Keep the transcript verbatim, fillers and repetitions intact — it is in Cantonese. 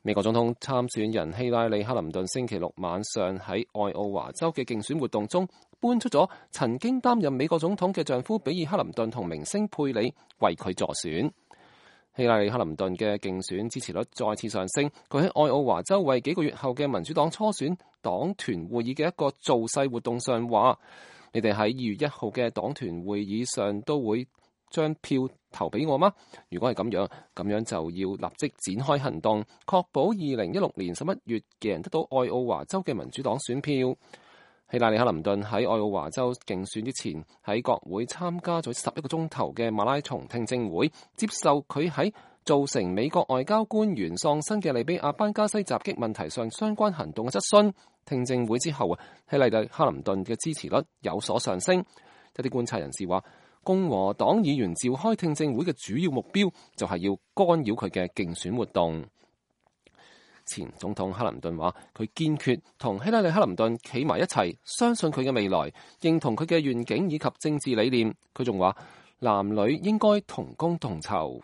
美國總統參選人希拉里·克林頓星期六晚上喺愛奧華州嘅競選活動中，搬出咗曾經擔任美國總統嘅丈夫比爾·克林頓同明星佩里為佢助選。希拉里·克林頓嘅競選支持率再次上升，佢喺愛奧華州為幾個月後嘅民主黨初選黨團會議嘅一個造勢活動上話：你哋喺二月一號嘅黨團會議上都會將票投俾我嗎？如果係咁樣，咁樣就要立即展開行動，確保二零一六年十一月嘅人得到愛奧華州嘅民主黨選票。希拉里·克林頓喺愛奧華州競選之前，喺國會參加咗十一個鐘頭嘅馬拉松聽證會，接受佢喺造成美國外交官員喪生嘅利比亞班加西襲擊問題上相關行動嘅質詢。聽證會之後啊，希拉里·克林頓嘅支持率有所上升。一啲觀察人士話，共和黨議員召開聽證會嘅主要目標就係要干擾佢嘅競選活動。前總統克林頓話，佢堅決同希拉里·克林頓企埋一齊，相信佢嘅未來，認同佢嘅願景以及政治理念。佢仲話，男女應該同工同酬。